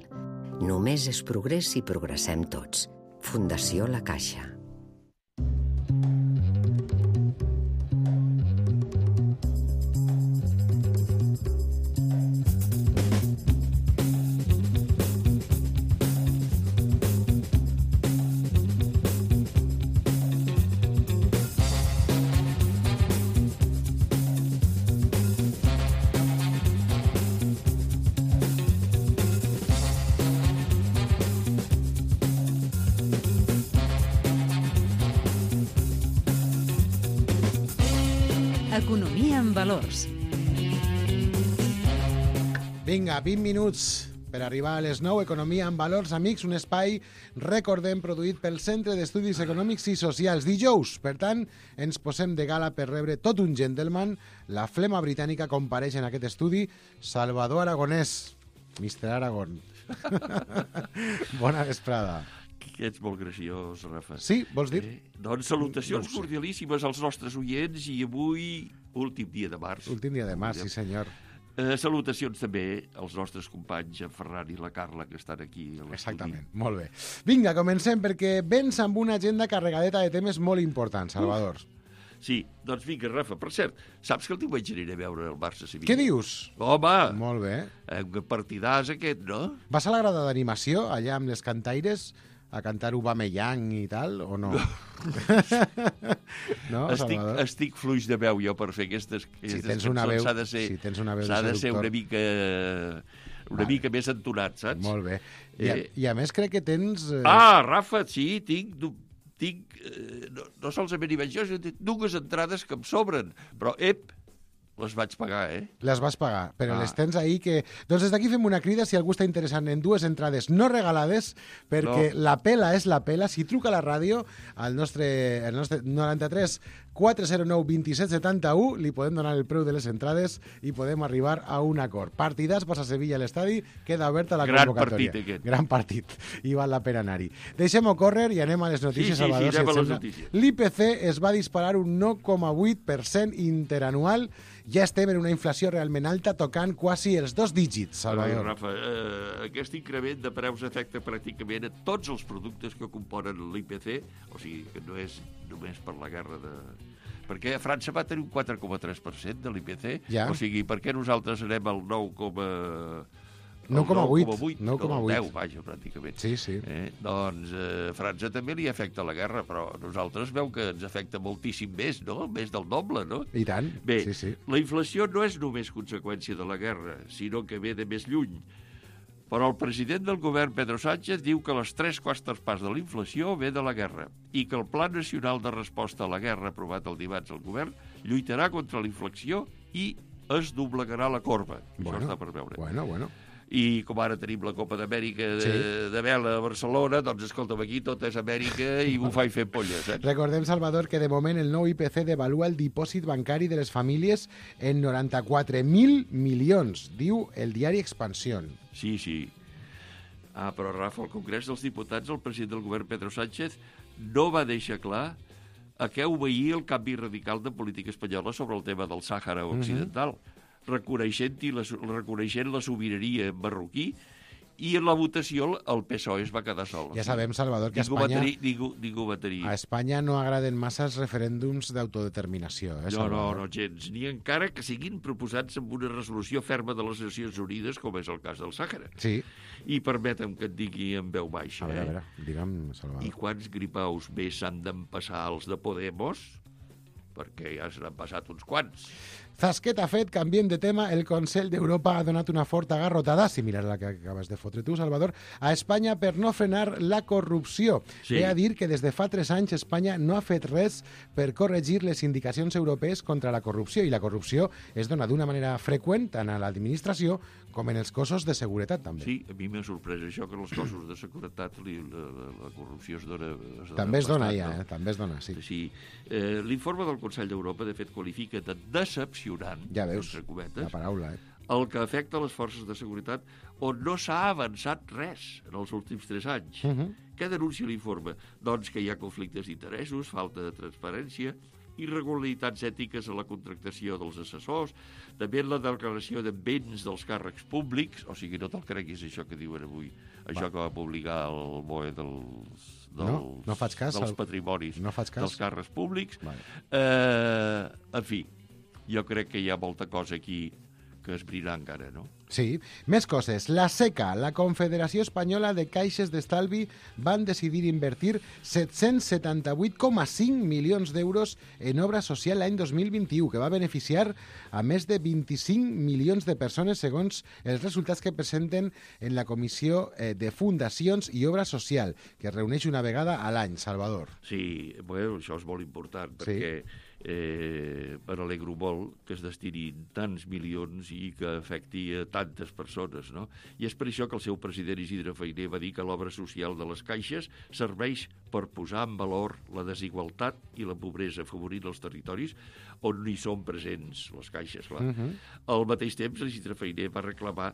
Només és progrés si progressem tots. Fundació La Caixa. Economia en valors. Vinga, 20 minuts per arribar a les 9, Economia amb valors, amics, un espai, recordem, produït pel Centre d'Estudis Econòmics i Socials. Dijous, per tant, ens posem de gala per rebre tot un gentleman. La flema britànica compareix en aquest estudi. Salvador Aragonès, Mr. Aragon. Bona vesprada. Que ets molt graciós, Rafa. Sí, vols dir? Doncs salutacions cordialíssimes als nostres oients i avui, últim dia de març. Últim dia de març, sí senyor. Salutacions també als nostres companys, en Ferran i la Carla, que estan aquí a l'estudi. Exactament, molt bé. Vinga, comencem, perquè vens amb una agenda carregadeta de temes molt importants, Salvador. Sí, doncs vinga, Rafa. Per cert, saps que el diumenge aniré a veure el Barça-Sevilla? Què dius? Home! Molt bé. Un partidàs aquest, no? Vas a la grada d'animació, allà amb les cantaires, a cantar Aubameyang i tal, o no? No, Salvador? Estic fluix de veu jo per fer aquestes tens una veu, s'ha de ser, si tens una veu s'ha de ser una mica més entonat, saps? Molt bé. I a més crec que tens... Rafa, sí, tinc no solament hi vaig jo, sinó dues entrades que em sobren, però les vaig pagar, Les vas pagar, però les tens ahí que... Doncs des d'aquí fem una crida si algú està interessant en dues entrades no regalades, perquè la pela és la pela. Si truca a la ràdio, al nostre 93 409 27 71, li podem donar el preu de les entrades i podem arribar a un acord. Partidàs, Barça Sevilla a l'estadi, queda oberta la convocatòria. Gran partit aquest. Gran partit, i val la pena anar-hi. Deixem-ho córrer i anem a les notícies, Salvador. Sí, anem a les notícies. L'IPC es va disparar un 9,8% interanual. Ja estem en una inflació realment alta, tocant quasi els 2 dígits, Salvador. Rafa, aquest increment de preus afecta pràcticament a tots els productes que componen l'IPC, o sigui que no és només per la guerra perquè a França va tenir un 4,3% de l'IPC, o sigui, per què nosaltres anem al 9,8? 9,8. 10, vaja, pràcticament. Sí, sí. Doncs a França també li afecta la guerra, però a nosaltres veu que ens afecta moltíssim més, no? Més del doble, no? I tant, Bé, sí. La inflació no és només conseqüència de la guerra, sinó que ve de més lluny. Però el president del govern, Pedro Sánchez, diu que les 3/4 parts de la inflació ve de la guerra i que el Pla Nacional de Resposta a la Guerra aprovat el dimarts al govern lluitarà contra la inflació i es doblegarà la corba. Això està per veure. Bueno. I com ara tenim la Copa d'Amèrica de vela a Barcelona, doncs escolta'm, aquí tot és Amèrica i bufar i fer polles. Recordem, Salvador, que de moment el nou IPC devalua el dipòsit bancari de les famílies en 94.000 milions, diu el diari Expansión. Sí. Però, Rafa, al Congrés dels Diputats, el president del govern, Pedro Sánchez, no va deixar clar a què obeïa el canvi radical de política espanyola sobre el tema del Sàhara Occidental. Reconeixent la sobirania marroquí, i en la votació el PSOE es va quedar sol. Ja sabem, Salvador, que ningú va tenir... A Espanya no agraden massa els referèndums d'autodeterminació. No, gens. Ni encara que siguin proposats amb una resolució ferma de les Nacions Unides, com és el cas del Sàhara. Sí. I permetem que et digui en veu baixa. A veure, digue'm, Salvador. I quants gripaus més s'han d'empassar els de Podemos? Perquè ja se n'han passat uns quants. Zasquet ha fet, canviem de tema, el Consell d'Europa ha donat una forta garrotada, similar a la que acabes de fotre tu, Salvador, a Espanya per no frenar la corrupció. Sí. Ve a dir que des de fa 3 anys Espanya no ha fet res per corregir les indicacions europees contra la corrupció, i la corrupció es dona d'una manera freqüent tant a l'administració com en els cossos de seguretat, també. Sí, a mi m'ha sorprès això, que en els cossos de seguretat la corrupció es dona... També es dona ja, també es dona, sí. Sí. L'informe del Consell d'Europa, de fet, qualifica de decepcionant, ja veus, entre cometes, la paraula, el que afecta les forces de seguretat on no s'ha avançat res en els últims 3 anys. Què denuncia l'informe? Doncs que hi ha conflictes d'interessos, falta de transparència, irregularitats ètiques a la contractació dels assessors, també en la declaració de béns dels càrrecs públics, o sigui, no te'l creguis això que diuen avui, això que va publicar el BOE no faig cas, dels patrimonis dels càrrecs públics. En fi, jo crec que hi ha molta cosa aquí que esbrinar encara, no? Sí. Més coses. La SECA, la Confederació Espanyola de Caixes d'Estalvi, van decidir invertir 778,5 milions d'euros en obra social l'any 2021, que va beneficiar a més de 25 milions de persones, segons els resultats que presenten en la Comissió de Fundacions i Obra Social, que es reuneix una vegada a l'any, Salvador. Sí, bueno, això és molt important, perquè Me n'alegro molt que es destinin tants milions i que afecti a tantes persones, no? I és per això que el seu president Isidre Fainé va dir que l'obra social de les caixes serveix per posar en valor la desigualtat i la pobresa, afavorint els territoris on hi són presents les caixes, clar. Al mateix temps, Isidre Fainé va reclamar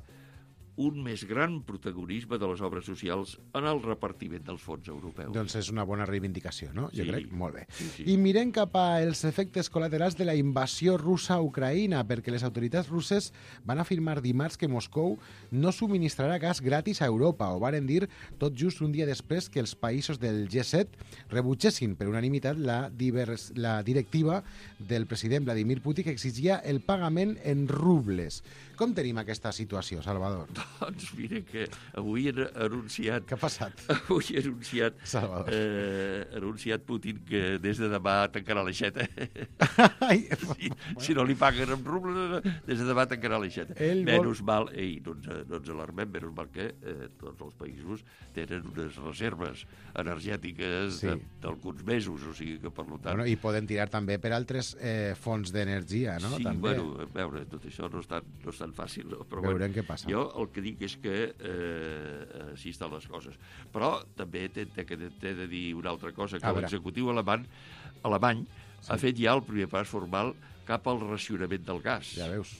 un més gran protagonisme de les obres socials en el repartiment dels fons europeus. Doncs és una bona reivindicació, no? Jo crec, molt bé. Sí. I mirem cap als efectes col·laterals de la invasió russa a Ucraïna, perquè les autoritats russes van afirmar dimarts que Moscou no subministrarà gas gratis a Europa, o varen dir tot just un dia després que els països del G7 rebutgessin per unanimitat la directiva del president Vladimir Putin que exigia el pagament en rubles. Com tenim aquesta situació, Salvador? Doncs mira que avui han anunciat... Què ha passat? Avui ha anunciat, anunciat Putin que des de demà tancarà l'aixeta. Si no li paguen amb rubles, des de demà tancarà l'aixeta. Menys mal, no ens alarmem, menys mal que tots els països tenen unes reserves energètiques d'alguns mesos, o sigui que per tant... Bueno, i poden tirar també per altres fonts d'energia, no? Sí, també. Bueno, a veure, tot això no és tan fàcil, no? Però veurem què passa. Jo el que dic és que així estan les coses. Però també t'he de dir una altra cosa, que l'executiu alemany ha fet ja el primer pas formal cap al racionament del gas. Ja veus.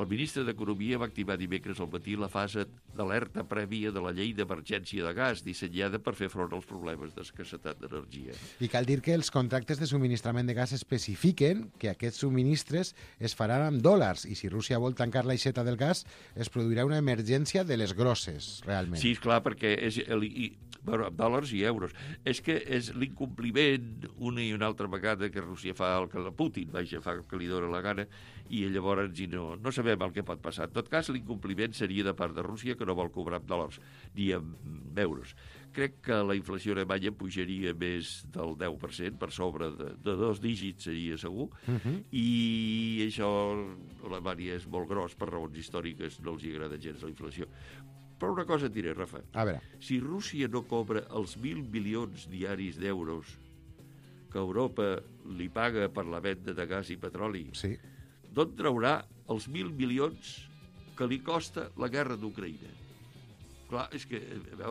El ministre d'Economia va activar dimecres al matí la fase d'alerta prèvia de la llei d'emergència de gas, dissenyada per fer front als problemes d'escassetat d'energia. I cal dir que els contractes de subministrament de gas especifiquen que aquests subministres es faran amb dòlars, i si Rússia vol tancar l'aixeta del gas, es produirà una emergència de les grosses, realment. Sí, esclar, perquè és amb dòlars i euros. És que és l'incompliment una i una altra vegada que Rússia fa el que la Putin, fa el que li dóna la gana, i llavors no sabem el que pot passar. En tot cas, l'incompliment seria de part de Rússia, que no vol cobrar amb dòlars ni amb euros. Crec que la inflació alemanya pujaria més del 10%, per sobre de 2 dígits seria segur, i això a Alemanya és molt gros, per raons històriques no els agrada gens la inflació. Però una cosa et diré, Rafa. A veure. Si Rússia no cobra els 1.000 milions diaris d'euros que Europa li paga per la venda de gas i petroli, d'on traurà els 1.000 milions que li costa la guerra d'Ucraïna? Clar, és que...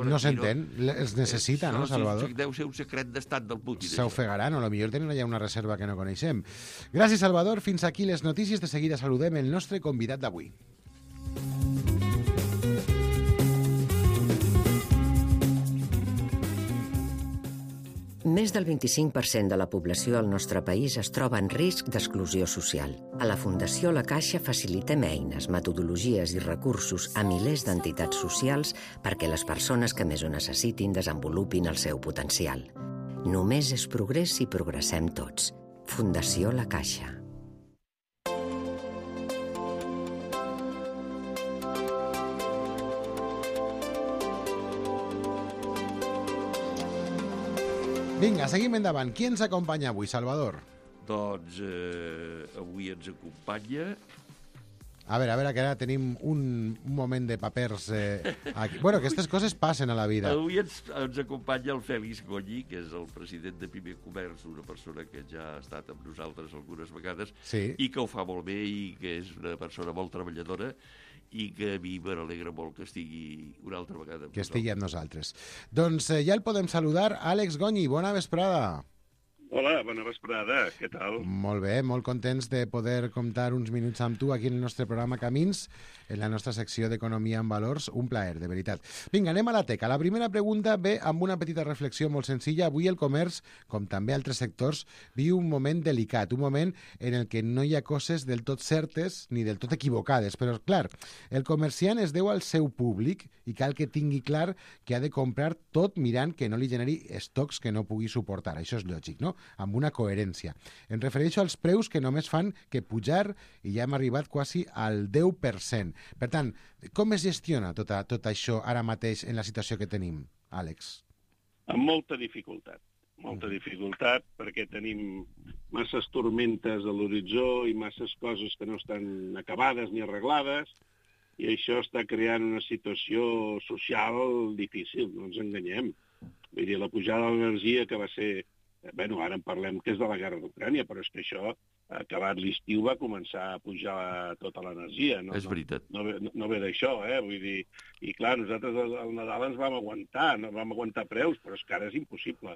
No s'entén, els necessita, no, Salvador? Deu ser un secret d'estat del Putin. S'ofegaran, o potser tenen allà una reserva que no coneixem. Gràcies, Salvador. Fins aquí les notícies. De seguida saludem el nostre convidat d'avui. Més del 25% de la població del nostre país es troba en risc d'exclusió social. A la Fundació La Caixa facilitem eines, metodologies i recursos a milers d'entitats socials perquè les persones que més ho necessitin desenvolupin el seu potencial. Només és progrés si progressem tots. Fundació La Caixa. Vinga, seguim endavant. Qui ens acompanya avui, Salvador? Doncs avui ens acompanya... A veure, que ara tenim un moment de papers aquí. Bueno, aquestes coses passen a la vida. Avui ens acompanya el Fèlix Goñi, que és el president de Pime Comerç, una persona que ja ha estat amb nosaltres algunes vegades i que ho fa molt bé i que és una persona molt treballadora i que a mi m'alegra molt que estigui una altra vegada amb que estigui amb nosaltres. Doncs ja el podem saludar. Àlex Goñi, bona vesprada. Hola, bona vesprada, què tal? Molt bé, molt contents de poder comptar uns minuts amb tu aquí en el nostre programa Camins, en la nostra secció d'Economia en Valors. Un plaer, de veritat. Vinga, anem a la teca. La primera pregunta ve amb una petita reflexió molt senzilla. Avui el comerç, com també altres sectors, viu un moment delicat, un moment en el que no hi ha coses del tot certes ni del tot equivocades. Però, clar, el comerciant es deu al seu públic i cal que tingui clar que ha de comprar tot mirant que no li generi estocs que no pugui suportar. Això és lògic, no? Amb una coherència. Em refereixo als preus que només fan que pujar i ja hem arribat quasi al 10%. Per tant, com es gestiona tot això ara mateix en la situació que tenim, Àlex? Amb molta dificultat. Molta dificultat perquè tenim masses tormentes a l'horitzó i masses coses que no estan acabades ni arreglades i això està creant una situació social difícil, no ens enganyem. Vull dir, la pujada de l'energia que va ser Ara en parlem que és de la guerra d'Ucrània, però és que això, acabat l'estiu, va començar a pujar tota l'energia. És veritat. No ve d'això, vull dir... I clar, nosaltres al Nadal ens vam aguantar preus, però és que ara és impossible.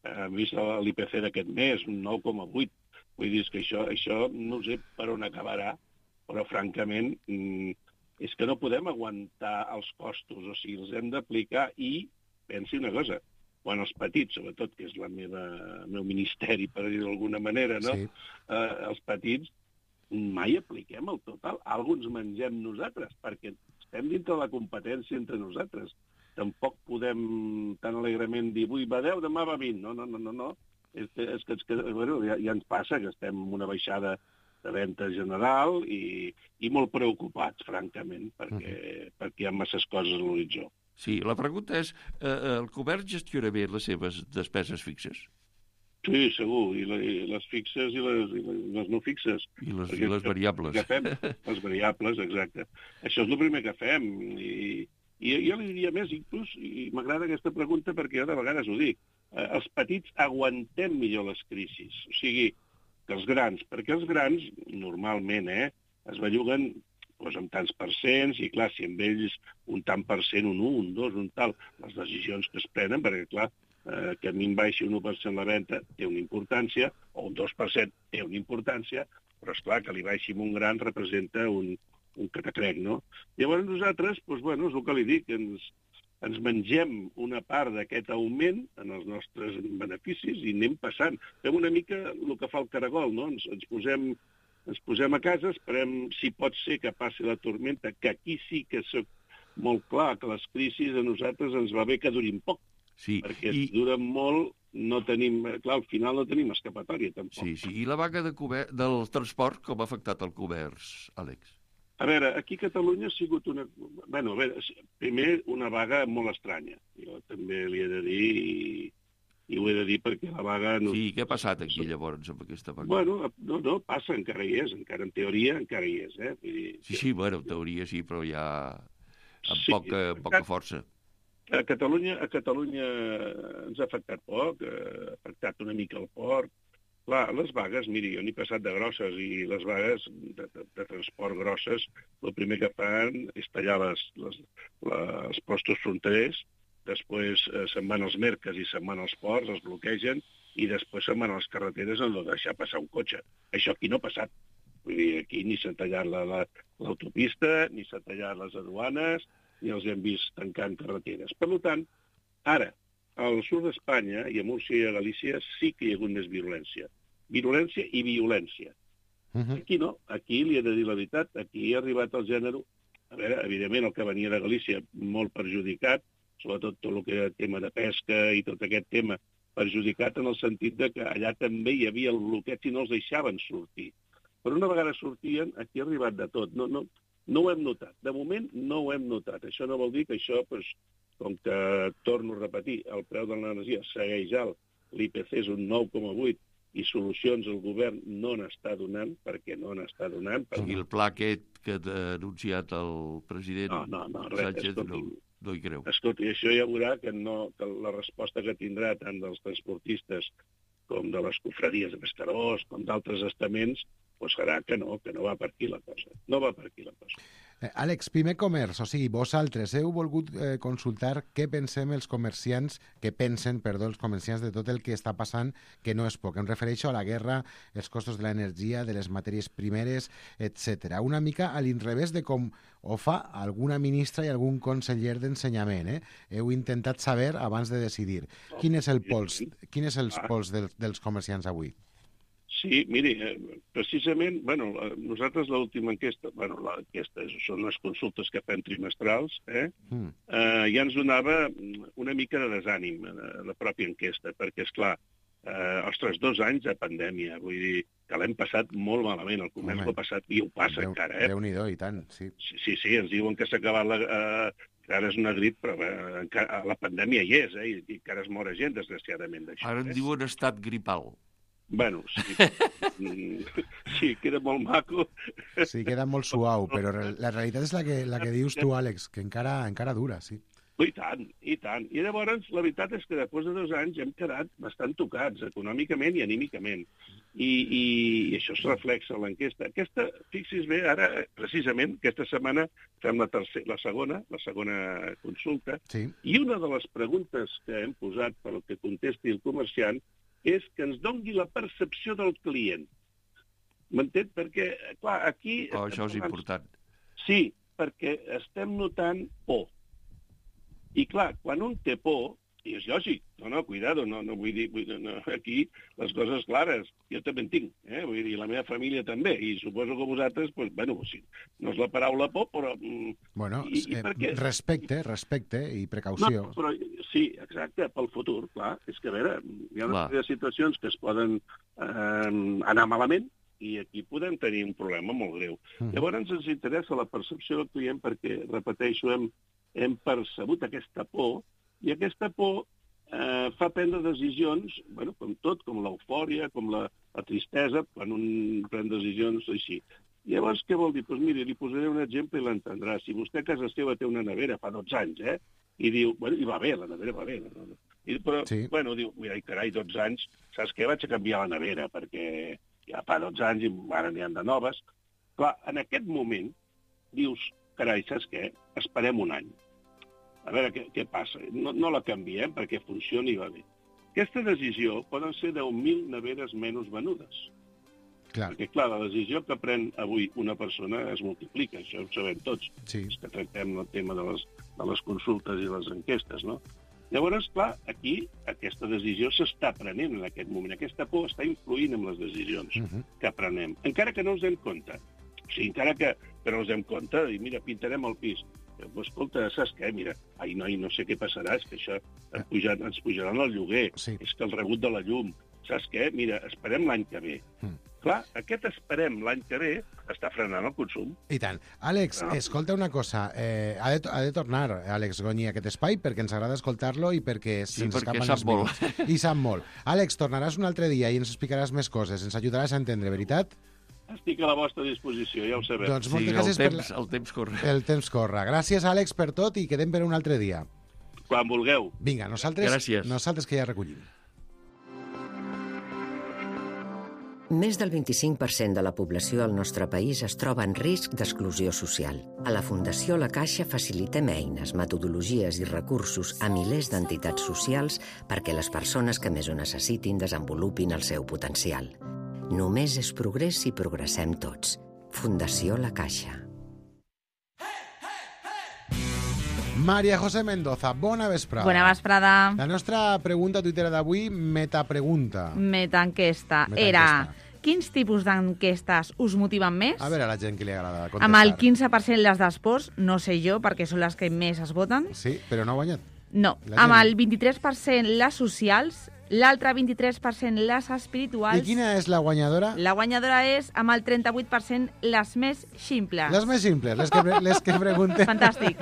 Hem vist l'IPC d'aquest mes, un 9,8. Vull dir, és que això no sé per on acabarà, però francament és que no podem aguantar els costos, o sigui, els hem d'aplicar i, pensi una cosa, quan els petits, sobretot, que és el meu ministeri, per dir-ho d'alguna manera, no? Sí. Els petits, mai apliquem el total. Algú ens mengem nosaltres, perquè estem dintre de la competència entre nosaltres. Tampoc podem tan alegrement dir, avui va 10, demà va 20. No. És que ja ens passa que estem en una baixada de venda general i molt preocupats, francament, perquè hi ha masses coses a l'horitzó. Sí, la pregunta és, el govern gestiona bé les seves despeses fixes? Sí, segur, i les fixes i les no fixes. I les variables. Les variables, exacte. Això és el primer que fem, i jo li diria més, inclús, i m'agrada aquesta pregunta perquè jo de vegades ho dic, els petits aguantem millor les crisis, o sigui, que els grans, perquè els grans, normalment, es belluguen amb tants percents, i clar, si amb ells un tant per cent, un 1, un 2, un tal, les decisions que es prenen, perquè clar, que a mi em baixi un 1% la venda té una importància, o un 2% té una importància, però esclar, que li baixi un gran representa un catacrec, no? Llavors nosaltres, és el que li dic, ens mengem una part d'aquest augment en els nostres beneficis i anem passant. Fem una mica el que fa el caragol, no? Ens posem a casa, esperem, si pot ser que passi la tormenta, que aquí sí que soc molt clar que les crisis a nosaltres ens va bé que durin poc. Sí. Perquè si duren molt, no tenim... Clar, al final no tenim escapatòria, tampoc. Sí. I la vaga del transport, com ha afectat el comerç, Àlex? A veure, aquí a Catalunya ha sigut una... primer, una vaga molt estranya. Jo també li he de dir... I ho he de dir perquè la vaga... Sí, què ha passat aquí, llavors, amb aquesta vaga? Bueno, no, passa, encara hi és, encara en teoria encara hi és, Sí, en teoria sí, però ja amb poca força. A Catalunya ens ha afectat poc, ha afectat una mica el port. Clar, les vagues, miri, jo n'he passat de grosses, i les vagues de transport grosses, el primer que fan és tallar els postos fronterers, després se'n van als merques i se'n van als ports, els bloquegen, i després se'n van a les carreteres en no deixar passar un cotxe. Això aquí no ha passat. Vull dir, aquí ni s'ha tallat l'autopista, ni s'ha tallat les aduanes, ni els hem vist tancant carreteres. Per tant, ara, al sud d'Espanya, i a Múrcia i a Galícia, sí que hi ha hagut més violència. Violència i violència. Aquí no, aquí li he de dir la veritat, aquí ha arribat el gènere... A veure, evidentment, el que venia de Galícia molt perjudicat, sobretot tot el que era tema de pesca i tot aquest tema perjudicat en el sentit de que allà també hi havia el bloqueig i no els deixaven sortir. Però una vegada sortien, aquí ha arribat de tot. No ho hem notat. De moment no ho hem notat. Això no vol dir que això, com que, torno a repetir, el preu de l'energia segueix alt, l'IPC és un 9,8, i solucions el govern no n'està donant, perquè no n'està donant. I el pla aquest que ha anunciat el president Sánchez no hi creu. Escolti, això ja veurà que la resposta que tindrà tant dels transportistes com de les cofradies de pescadors, com d'altres estaments, serà que no va per aquí la cosa. No va per aquí la cosa. Àlex, Pime Comerç, o sigui, vosaltres heu volgut consultar què pensen els comerciants de tot el que està passant, que no és poc. Em refereixo a la guerra, els costos de l'energia, de les matèries primeres, etc. Una mica a l'inrevés de com ho fa alguna ministra i algun conseller d'ensenyament. Heu intentat saber abans de decidir. Quin és el pols dels comerciants avui? Sí, miri, precisament, nosaltres l'última enquesta, l'enquesta són les consultes que fem trimestrals, ja ens donava una mica de desànim la pròpia enquesta, perquè, esclar, 2 anys de pandèmia, vull dir que l'hem passat molt malament, el comerç l'ha passat, i ho passa encara, Déu-n'hi-do, i tant, sí. Sí, ens diuen que s'ha acabat ara és una grip, però la pandèmia hi és, i encara es mor gent, desgraciadament, d'això. Ara en diuen estat gripal. Bueno, sí, queda molt maco. Sí, queda molt suau, però la realitat és la que dius tu, Àlex, que encara dura, sí. I tant, i tant. I llavors, la veritat és que després de 2 anys hem quedat bastant tocats, econòmicament i anímicament. I això es reflexa en l'enquesta. Aquesta, fixis bé, ara, precisament, aquesta setmana fem la segona consulta, i una de les preguntes que hem posat per al que contesti el comerciant és que ens doni la percepció del client. M'entén? Perquè, clar, aquí... això és important. Sí, perquè estem notant por. I clar, quan un té por, i és lògic, cuidado, no vull dir, aquí les coses clares, jo també en tinc, vull dir, la meva família també, i suposo que vosaltres, sí, no és la paraula por, però... Bueno, respecte i precaució. No, però sí, exacte, pel futur, clar, és que a veure, hi ha una sèrie de situacions que es poden anar malament, i aquí podem tenir un problema molt greu. Llavors ens interessa la percepció del client perquè, repeteixo, hem percebut aquesta por, i aquesta por fa prendre decisions, com tot, com l'eufòria, com la tristesa, quan un pren decisions així. Llavors, què vol dir? Doncs miri, li posaré un exemple i l'entendrà. Si vostè a casa seva té una nevera fa 12 anys, i diu, i va bé, la nevera va bé, però, diu, mira, carai, 12 anys, saps què? Vaig a canviar la nevera, perquè ja fa 12 anys i ara n'hi ha de noves. Clar, en aquest moment, dius, carai, saps què? Esperem un any. A veure què passa. No la canviem perquè funcioni i va bé. Aquesta decisió poden ser 10.000 neveres menys venudes. Perquè, clar, la decisió que pren avui una persona es multiplica, això ho sabem tots. És que tractem el tema de les consultes i les enquestes, no? Llavors, clar, aquí aquesta decisió s'està prenent en aquest moment. Aquesta por està influint en les decisions que prenem, encara que no ens dem compte. O sigui, encara que no ens dem compte, i mira, pintarem el pis. Escolta, saps què? Mira, no sé què passarà, és que això ens pujaran el lloguer, és que el rebut de la llum, saps què? Mira, esperem l'any que ve. Clar, aquest esperem l'any que ve està frenant el consum. I tant. Àlex, escolta una cosa, ha de tornar, Àlex Goni, a aquest espai, perquè ens agrada escoltar-lo i perquè se'ns escapen els minuts. I sap molt. Àlex, tornaràs un altre dia i ens explicaràs més coses, ens ajudaràs a entendre, veritat? Estic a la vostra disposició, ja ho sabeu. Doncs moltes gràcies el temps corre. El temps corre. Gràcies, Àlex, per tot i quedem per un altre dia. Quan vulgueu. Vinga, nosaltres que ja recollim. Més del 25% de la població al nostre país es troba en risc d'exclusió social. A la Fundació La Caixa facilitem eines, metodologies i recursos a milers d'entitats socials perquè les persones que més ho necessitin desenvolupin el seu potencial. Només és progrés si progressem tots. Fundació La Caixa. María José Mendoza, bona vesprada. Bona vesprada. La nostra pregunta a Twitter d'avui, metapregunta. Metaenquesta. Era, quins tipus d'enquestes us motiven més? A veure a la gent que li agrada contestar. Amb el 15% les d'esports, no sé jo, perquè són les que més es voten. Sí, però no ha guanyat. No, amb el 23% les socials, l'altre 23% les espirituals. I quina és la guanyadora? La guanyadora és, amb el 38%, les més ximples. Les més simples, les que preguntem... Fantàstic.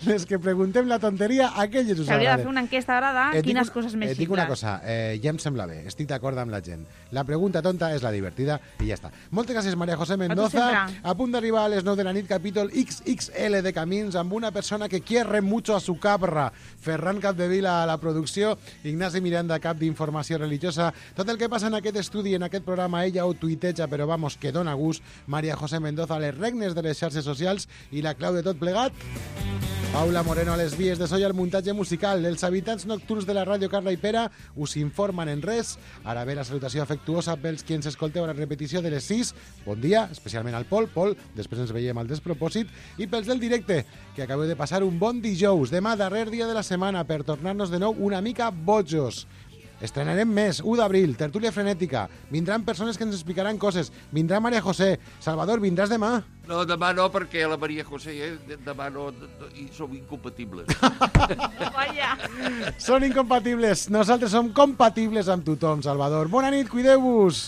Les que preguntem la tonteria, aquelles us agraden. S'hauria de fer una enquesta ara de quines coses més ximples. Dic una cosa, ja em sembla bé, estic d'acord amb la gent. La pregunta tonta és la divertida i ja està. Moltes gràcies, María José Mendoza. A punt d'arribar a les 9 de la nit, capítol XXL de Camins, amb una persona que quiere mucho a su cabra. Ferran Capdevila a la producció, Ignasi Miranda, cap d'informació religiosa. Tot el que passa en aquest estudi, en aquest programa, ella ho tuiteja, però vamos, que dona gust. María José Mendoza a les regnes de les xarxes socials i la clau de tot plegat. Paula Moreno a les vies de so i al muntatge musical. Els habitants nocturns de la ràdio Carla i Pera us informen en res. Ara ve la salutació afectuosa pels qui ens escolteu a la repetició de les 6. Bon dia, especialment al Pol. Pol, després ens veiem al despropòsit. I pels del directe, que acabeu de passar un bon dijous. Demà, darrer dia de la setmana, per tornar-nos de nou una mica bojos. Estrenarem més, 1 d'abril, tertúlia frenètica. Vindran persones que ens explicaran coses. Vindrà María José. Salvador, vindràs demà? No, demà no, perquè la María José demà no, i som incompatibles. Són incompatibles. Nosaltres som compatibles amb tothom, Salvador. Bona nit, cuideu-vos.